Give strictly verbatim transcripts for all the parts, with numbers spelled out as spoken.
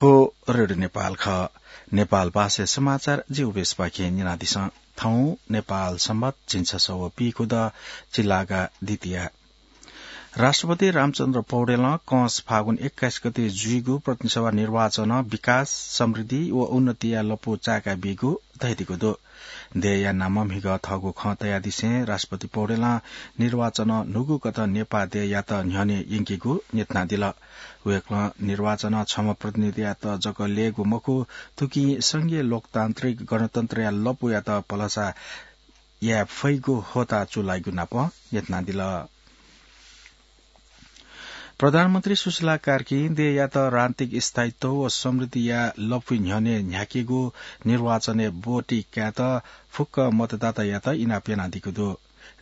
थ्व रेडियो नेपाल खः। नेपाल भाषा समाचार जिगु बेसपाखें न्यनादिसँ। थौं नेपाल संवत झिंछसः व पीखुदँ, चिलागा द्वितीया। राष्ट्रपति रामचन्द्र पौडेलं कंस फागुन एक्काइस गते जुइगु प्रतिनिधि सभा निर्वाचनं विकास, समृद्धि व उन्नतिया लँपु चाय्‌का बीगु धयादीगु दु। देय्‌या नामं म्हिगः थःगु खँ तयादिसें राष्ट्रपति पौडेलं निर्वाचनं न्हूगु कथं नेपाः देय्‌यात न्ह्यःने यंकेगु न्ह्यथनादिल। वय्‌कलं निर्वाचनं छम्ह प्रतिनिधियात जक ल्ययेगु मखु, थुकिं संघीय लोकतान्त्रिक गणतन्त्रया लँपुयात भलसा याये फइगु होता चूलाइगु नापं न्ह्यथनादिल। प्रधानमन्त्री सुशीला कार्कीं देय्‌यात राजनीतिक स्थायित्व व समृद्धिया लँपुइ न्ह्यःने न्ह्याकेगु निर्वाचनय् ब्वति कायेत फुक्क मतदातायात इनाप यानादीगु दु।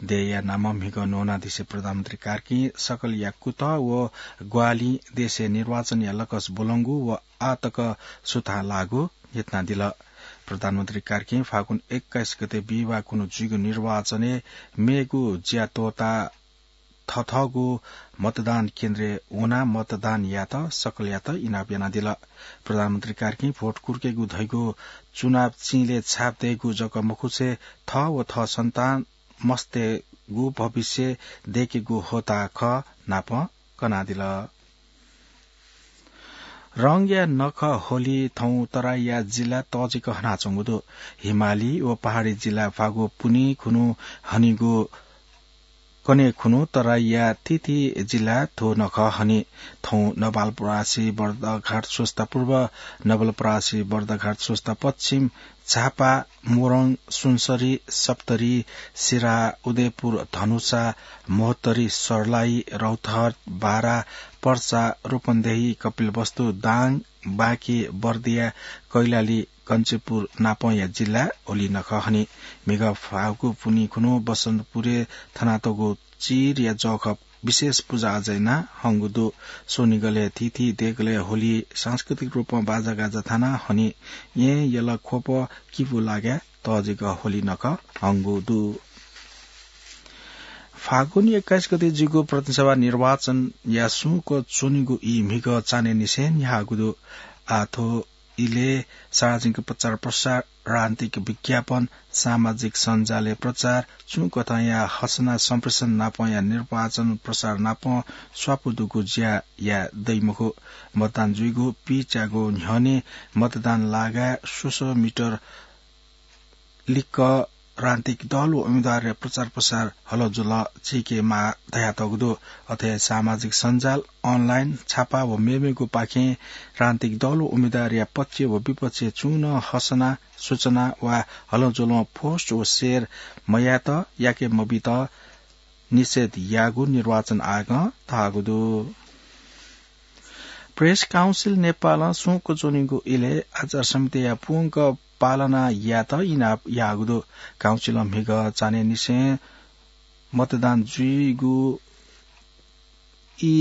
देय्‌या नामं म्हिगः न्वनादिसे प्रधानमन्त्री कार्कीं सकलया कुतः व ग्वाहालिं देशय् निर्वाचनया लकस ब्वलंगु व आः तक सुथां लाःगु न्ह्यथनादिल। प्रधानमन्त्री कार्कीं फागुन एक्काइस गते बिहिबाः कुन्हु जुइगु निर्वाचनय् मेगु ज्या त्वःताः थथःगु मतदान केन्द्रय् वनाः मतदान यायेत सकलयात इनाप यानादिल। प्रधानमन्त्री कार्कीं भोट कुर्केगु धइगु चुनाव चिलय् छाप दयेगु जक मखुसे थः व थः सन्तान मस्तय्‌गु भविष्य दयेकेगु होता खः नापं कनादिल। रंगया नखः होली थौं तराईया जिल्ला तःजिक हनाच्वंगु दु। हिमाली व पहाडी जिल्ला फागु पुन्हि खुन्हु हनीगु कन्हय् खुन्हु तराईया थीथी जिल्ला थ्व नखः हनी। थौं नवलपरासी बर्दघाट स्वस्ता पूर्व, नवलपरासी बर्दघाट स्वस्ता पश्चिम, झापा, मोरङ, सुनसरी, सप्तरी, सिराहा, उदयपुर, धनुषा, महोत्तरी, सर्लाही, रौतहट, बारा, पर्सा, रूपन्देही, कपिलवस्तु, दाङ, बाँके, बर्दिया, कैलाली, कञ्चनपुर नापंया जिल्ला होली नखः हनी। म्हिगः फागु पुन्हि खुन्हु बसन्तपुरय् थनातःगु चिरया जःखः विशेष पुजा आजा याना हंगु दु। स्वनिगलय् थीथी देगलय् होली सांस्कृतिक रूपं बाजागाजा थाना हनी। येँ, यल, ख्वप, किपु लागाय् तःजिक होली नखः हंगु दु। फागुन एक्काइस गते जूगु प्रतिनिधि सभा निर्वाचनया सुंक च्वनीगु ई म्हिगः चान्हय्‌निसें न्ह्याःगु दु। आः थ्व इलय् सार्वजनिक प्रचार प्रसार, राजनीतिक विज्ञापन, सामाजिक सञ्जालय् प्रचार, छुं कथंया हसना सम्प्रेषण नापंया निर्वाचन प्रसार नापं स्वापू दुगु ज्या याये दइ मखु। मतदान जुइगु पीच्यागु न्ह्यःने मतदान लागाय् स्वसः मिटर लिक्क राजनीतिक दल व उम्मेदवारया प्रचार प्रसार हलजुल चीकेमाः धयातःगु दु। अथे सामाजिक सञ्जाल, online, छापा व मेमेगु पाखें राजनीतिक दल व उम्मेदवारया पक्ष व विपक्ष छुं नं हसना, सूचना वा हलजुलं post व share मयायेत, याके मबीत निषेध याःगु निर्वाचन आयोगं धाःगु दु। Press Council नेपालं सुंक च्वनीगु इलय् आचार संहिताया पूवंक पालना यायेत इनाप याःगु दु। काउन्सिलं म्हिगः चान्हय्‌निसें मतदान जुइगु ई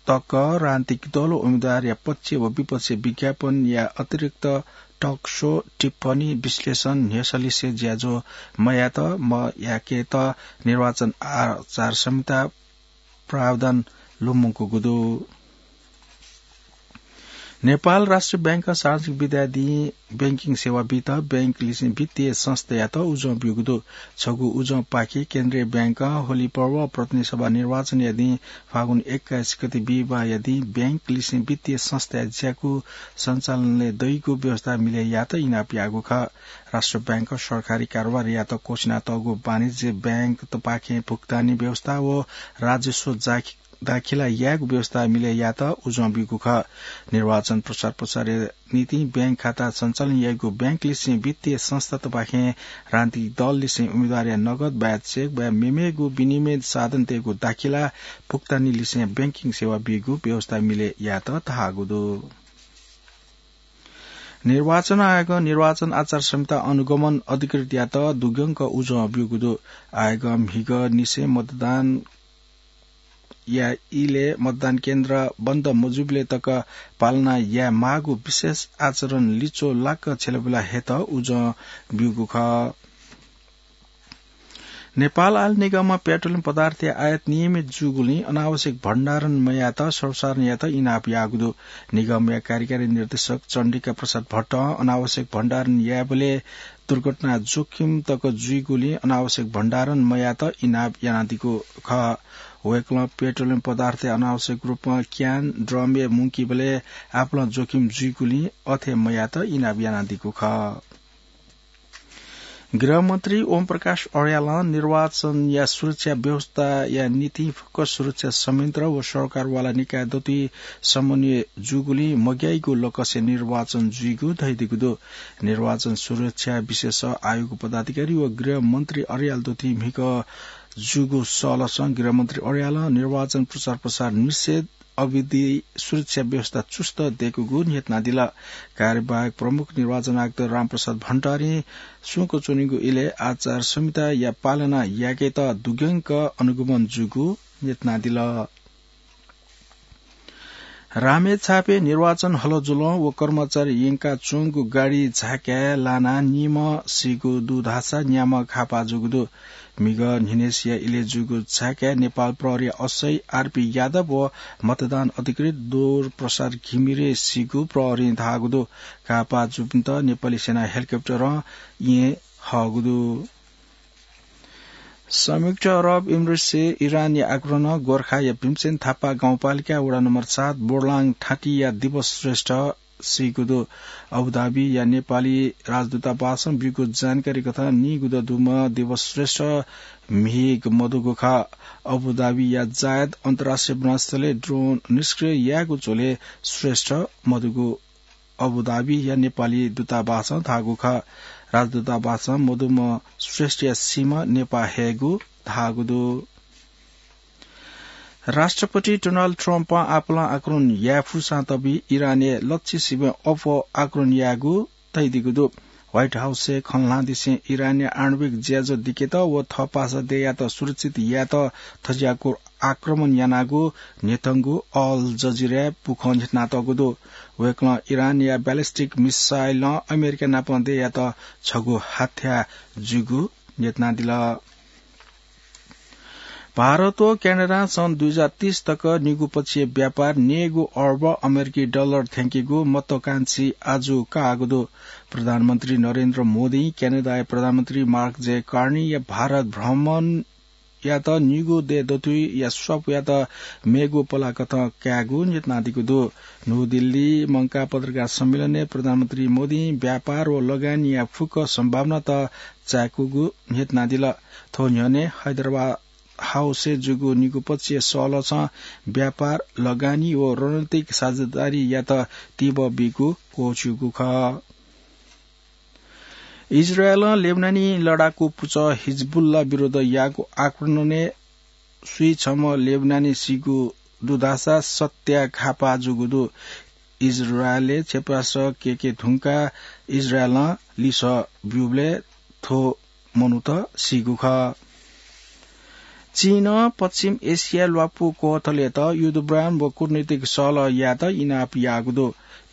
तक राजनीतिक दल व उम्मेदवारया पक्ष व विपक्ष विज्ञापनया अतिरिक्त talk show, टिप्पणी, विश्लेषण, न्ह्यसलिसे ज्याझ्वः मयायेत, मयाकेत निर्वाचन आचार संहिता प्रावधान लुमंकूगु दु। नेपाल राष्ट्रिय बैंकं सार्वजनिक विधाय् दिं बैंकिङ सेवा बीत बैंकलिसें वित्तीय संस्थायात उजं ब्यूगु दु। छगू उजंपाखे केन्द्रीय बैंकं होली पर्व, प्रतिनिधि सभा निर्वाचनया दिं फागुन एक्काइस गते बिहिबाःया दिं बैंकलिसें वित्तीय संस्थाया ज्याकू सञ्चालनय् दइगु व्यवस्था मिले यायेत इनाप याःगु खः। राष्ट्रिय बैंकं सरकारी कारोबार यायेत क्वछिनातःगु वाणिज्य बैंकतपाखें भुक्तानी व्यवस्था व राजस्व जाखि-, दाखिला यायेगु व्यवस्था मिले यायेत उजं ब्यूगु खः। निर्वाचन प्रचार प्रसारया निंतिं बैंक खाता सञ्चालन याइगु बैंकलिसें वित्तीय संस्थातपाखें राजनीतिक दललिसें उम्मेदवारया नगद वा चेक वा मेमेगु विनिमय साधनतय्‌गु दाखिला भुक्तानीलिसें बैंकिङ सेवा बीगु व्यवस्था मिले यायेत धाःगु दु। निर्वाचन आयोगं निर्वाचन आचार संहिता अनुगमन अधिकृतयात दुग्यंक उजं ब्यूगु दु। आयोगं म्हिगःनिसें मतदानया इलय् मतदान केन्द्र बन्द मजुइबलय् तक पालना याये माःगु विशेष आचरण लिच्वः लाक्क छ्यलाबुला हयेत उजं ब्यूगु खः। नेपाल आयल निगमं पेट्रोलियम पदार्थया आयात नियमित जूगुलिं अनावश्यक भण्डारण मयायेत सर्वसाधारणयात इनाप याःगु दु। निगमया कार्यकारी निर्देशक चण्डिका प्रसाद भट्टं अनावश्यक भण्डारण यायेबलय् दुर्घटना जोखिम तक जुइगुलिं अनावश्यक भण्डारण मयायेत इनाप यानादीगु खः। वय्कलं पेट्रोलियम पदार्थ अनावश्यक रूपमा क्यान, ड्रमय् मुंकीबलय् आपालं जोखिम जुइगुलिं अथे मयायेत इनाप यानादीगु खः। गृहमन्त्री ओम प्रकाश अर्यालं निर्वाचनया सुरक्षा व्यवस्थाया निंतिं फुक्क सुरक्षा संयन्त्र व सरकारवाला निकाय दथुइ समन्वय जूगुलिं मग्याइगु लकसय् निर्वाचन जुइगु धयादीगु दु। निर्वाचन सुरक्षा विशेष आयोग पदाधिकारी व गृहमन्त्री अर्याल दथुइ म्हिगः जूगु सहलसं गृहमन्त्री अर्यालं निर्वाचन प्रचार प्रसार निषेध अवधि सुरक्षा व्यवस्था चुस्त दयेकूगु न्ह्यथनादिल। कार्यवाहक प्रमुख निर्वाचन आयुक्त रामप्रसाद भण्डारीं सुंक च्वनीगु इलय् आचार संहिताया पालना याकेत दुग्यंक अनुगमन जूगु न्ह्यथनादिल। रामेछापय् निर्वाचन हलजुलं व कर्मचारी यंकाच्वंगु गाडी झाकाय् लानाः निम्ह सीगु दु धाःसा न्याम्ह घाःपाः जूगु दु। म्हिगः न्हिनेसिया इलय् जूगु झाकाय् नेपाल प्रहरीया असै आरपी यादव व मतदान अधिकृत दुर्प्रसाद घिमिरे सीगु प्रहरीं धाःगु दु। घाःपाः जूपिन्त नेपाली सेना हेलिकप्टरं येँ हःगु दु। संयुक्त अरब इमिरेट्सय् इरानया आक्रमणं गोर्खाया भीमसेन थापा गाउँपालिका वडा नम्बर सात बोडलाङ थाँटीया दिवस श्रेष्ठ सीगु दु। अबुधाबीया नेपाली राजदूतावासं ब्यूगु जानकारी कथं नीगुदा दुम्ह दिवस श्रेष्ठ म्हिगः मदुगु खः। अबुधाबीया जायद अन्तर्राष्ट्रिय विमानस्थलय् ड्रोन निष्क्रिय यायेगु झ्वलय् श्रेष्ठ मदुगु अबुधाबीया नेपाली दूतावासं धाःगु खः। राजदूतावासं मदुम्ह श्रेष्ठया सीम्ह नेपाः हयेगु धाःगु दु। राष्ट्रपति डोनाल्ड ट्रम्पं आपालं आक्रमण याये फुसां तबी इरानय् लच्छि सिबें अप्वः आक्रमण यायेगु तयादीगु दु। व्हाइट हाउसय् खँ ल्हानादिसें इरानया आणविक ज्याझ्वः दिकेत व थः पासा देय्‌यात सुरक्षित यायेत थज्याःगु आक्रमण यानागु न्ह्यथंगु अल जजिराया पुखं न्ह्यथनातःगु दु। वय्‌कलं इरानया ब्यालिस्टिक मिसाइलं अमेरिका नाप देय्‌यात छगू हत्या जूगु न्ह्यथनादिल। भारत व क्यानाडां सन् दुई हजार तीस तक निगूपक्षीय व्यापार नेगू अर्ब अमेरिकी डलर थ्यंकीगु महत्वाकांक्षी आजु काःगु दु। प्रधानमन्त्री नरेन्द्र मोदीं क्यानाडाया प्रधानमन्त्री मार्क जे कार्नीया भारत भ्रमणयात निगू देय् दथुइया स्वापूयात मेगु पलाकथं कायेगु न्ह्यथनादीगु दु। न्हू दिल्ली मंकाः पत्रकार सम्मेलनय् प्रधानमन्त्री मोदीं व्यापार व लगानीया फुक्क सम्भावनात चाय्‌कूगु न्ह्यथनादिल। थ्व न्ह्यःने हैदराबाद हाउसय् जूगु निगूपक्षीय सहलसं व्यापार, लगानी व रणनीतिक साझेदारीयात तीव्र बीगु क्वःछिउगु खः। इजरायलं लेबनानी लडाकू पुचः हिजबुल्ला विरुद्ध याःगु आक्रमणय् सुइछम्ह लेबनानी सीगु दु धाःसा सत्या घाःपाः जूगु दु। इजरायलय् क्षेपणास्त्र कय्‌के धुंकाः इजरायलं लिसः ब्यूबलय् थ्व मनूत सीगु खः। चीनं पश्चिम एसिया ल्वापु क्वथलय्‌त युद्धविराम व कूटनीतिक सहलह यायेत इनाप याःगु दु।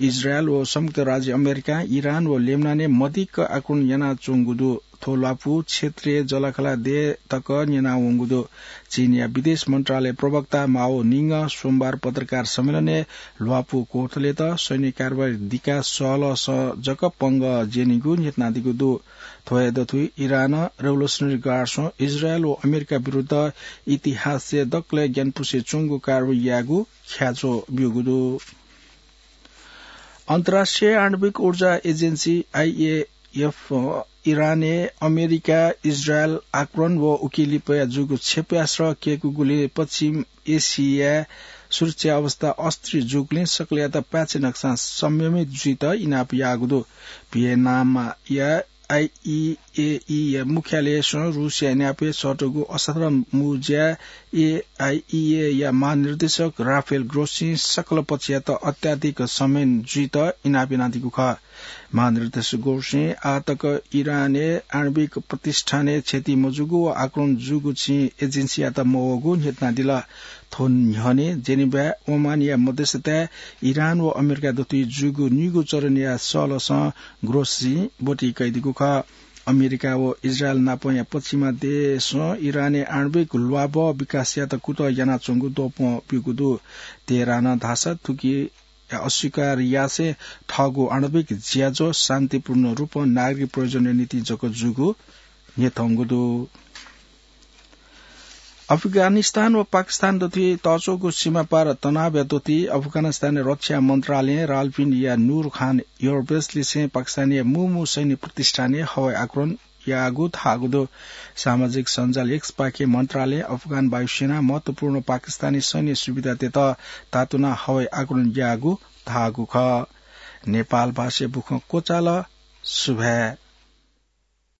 इजरायल व संयुक्त राज्य अमेरिकां इरान व लेबनानय् मदिक्क आक्रमण यानाच्वंगु दु। थ्व ल्वापु क्षेत्रीय जःलाखःला देय् तक न्यनावंगु दु। चीनया विदेश मन्त्रालय प्रवक्ता माओ निङं सोमबार पत्रकार सम्मेलनय् ल्वापु क्वथलय्‌त सैन्य कारवाही दिकाः सहलहसं जक पंगः ज्यनीगु न्ह्यथनादीगु दु। थ्व हे दथुइ इरानं रेभोल्युसनरी गार्डसं इजरायल व अमेरिका विरुद्ध इतिहासय् दकलय् ग्यानापुसे च्वंगु कारवाही याःगु ख्याच्वः ब्यूगु दु। अन्तर्राष्ट्रिय आणविक ऊर्जा एजेन्सी, आइएएफ, इरानय् अमेरिका, इजरायल आक्रमण व उकी लिपाया जूगु क्षेपयास्त्र कय्‌कूगुलिं पश्चिम एसियाय् सुरक्षा अवस्था अस्थिर जूगुलिं सकलयात पाय्‌छि नकसां संयमित जुइत इनाप याःगु दु। भियनाया आइइएईया मुख्यालयसं रुसिया न्यापय् सःतूगु असाधारण मू ज्याय् एआइइएया महानिर्देशक राफेल ग्रोसीं सकल पक्षयात अत्याधिक संयम जुइत इनाप यानादीगु खः। महानिर्देशक ग्रोसीं आः तक इरानय् आणविक प्रतिष्ठानय् क्षति मजूगु व आक्रमण जूगु चिं एजेन्सीयात मवःगु न्ह्यथनादिल। थ्व न्ह्यःने जेनेभाय् ओमानया मध्यस्थताय् इरान व अमेरिका दथुइ जूगु निगू चरणया सहलहसं ग्रोसीं ब्वति कयादीगु खः। अमेरिका व इजरायल नापंया पश्चिमा देशं इरानय् आणविक ल्वाभः विकास यात कुतः यानाच्वंगु द्वपं ब्यूगु दु। तेहरानं धाःसा थुकी अस्वीकार यासें थःगु आणविक ज्याझ्वः शान्तिपूर्ण रूपं नागरिक प्रयोजनया निंतिं जक जूगु न्ह्यथंगु दु। अफगानिस्तान व पाकिस्तान दथुइ तःच्वःगु सीमापार तनावया दथुइ अफगानिस्तानया रक्षा मन्त्रालयं रावलपिण्डीया नूर खान एयरबेस लिसें पाकिस्तानया मू मू सैन्य प्रतिष्ठानय् हवाई आक्रमण याःगु धाःगु दु। सामाजिक सञ्जाल एक्सपाखे मन्त्रालयं अफगान वायुसेनां महत्वपूर्ण पाकिस्तानी सैन्य सुविधातय्त तातुनाः हवाई आक्रमण याःगु धाःगु खः। नेपाल भाषाय् बुखँ क्वचाल। सुभाय्।